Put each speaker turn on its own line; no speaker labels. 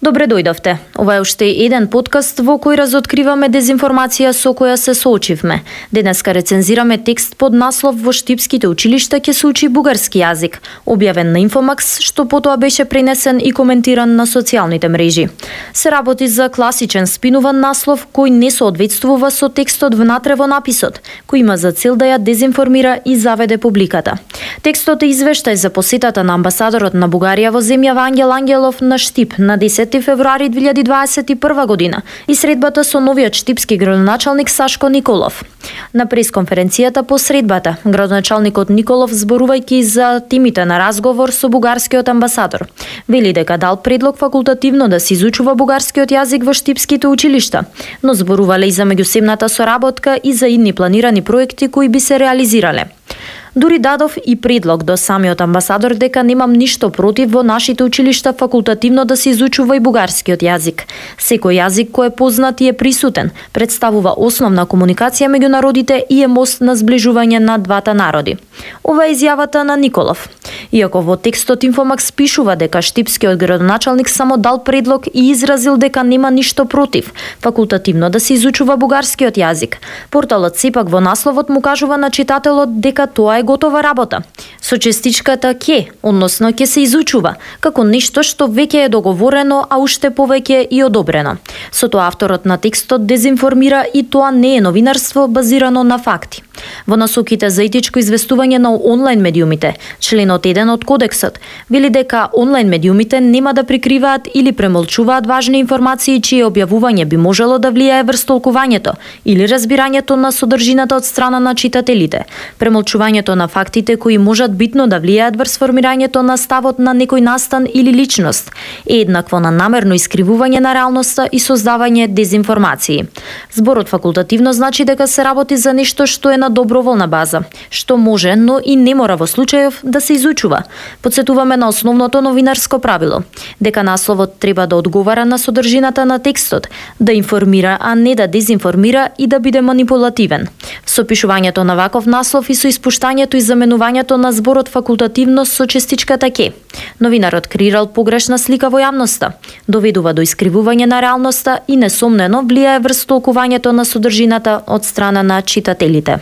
Добре дојдовте. Ова е уште еден подкаст во кој разоткриваме дезинформација со која се соочивме. Денеска рецензираме текст под наслов "Во штипските училишта ќе се учи бугарски јазик", објавен на Инфомакс, што потоа беше пренесен и коментиран на социјалните мрежи. Се работи за класичен спинуван наслов кој не соодветствува со текстот внатре во написот, кој има за цел да ја дезинформира и заведе публиката. Текстот е извештај за посетата на амбасадорот на Бугарија во земјава Ангел Ангелов на Штип на 10 февруари 2021 година и средбата со новиот штипски градоначалник Сашко Николов. На пресконференцијата по средбата, градоначалникот Николов, зборувајќи за темите на разговор со бугарскиот амбасадор, вели дека дал предлог факултативно да се изучува бугарскиот јазик во штипските училишта, но зборувале и за меѓусебната соработка и за идни планирани проекти кои би се реализирале. Дури дадов и предлог до самиот амбасадор дека немам ништо против во нашите училишта факултативно да се изучува и бугарскиот јазик. Секој јазик кој е познат и е присутен, представува основна комуникација меѓу народите и е мост на зближување на двата народи. Ова е изјавата на Николов. Иако во текстот Инфомакс пишува дека штипскиот градоначалник само дал предлог и изразил дека нема ништо против факултативно да се изучува бугарскиот јазик, порталот сепак во насловот му кажува на читателот дека тоа е готова работа. Со честичката ќе, односно ќе се изучува, како нешто што веќе е договорено, а уште повеќе и одобрено. Со тоа авторот на текстот дезинформира и тоа не е новинарство базирано на факти. Во насоките за етичко известување на онлайн медиумите, членот 1 од кодексот вели дека онлайн медиумите нема да прикриваат или премолчуваат важни информации чие објавување би можело да влијае врз толкувањето или разбирањето на содржината од страна на читателите. Премолчувањето на фактите кои можат битно да влијаат врз формирањето на ставот на некој настан или личност е еднакво на намерно искривување на реалноста и создавање дезинформации. Зборот факултативно значи дека се работи за нешто што е на доброволна база, што може, но и не мора во случајов да се изучува. Потсетуваме на основното новинарско правило, дека насловот треба да одговара на содржината на текстот, да информира, а не да дезинформира и да биде манипулативен. Со пишувањето на ваков наслов и со испуштањето и заменувањето на зборот факултативно со честичката ќе, новинарот креирал погрешна слика во јавноста, доведува до искривување на реалноста и несомнено влијае врз толкувањето на содржината од страна на читателите.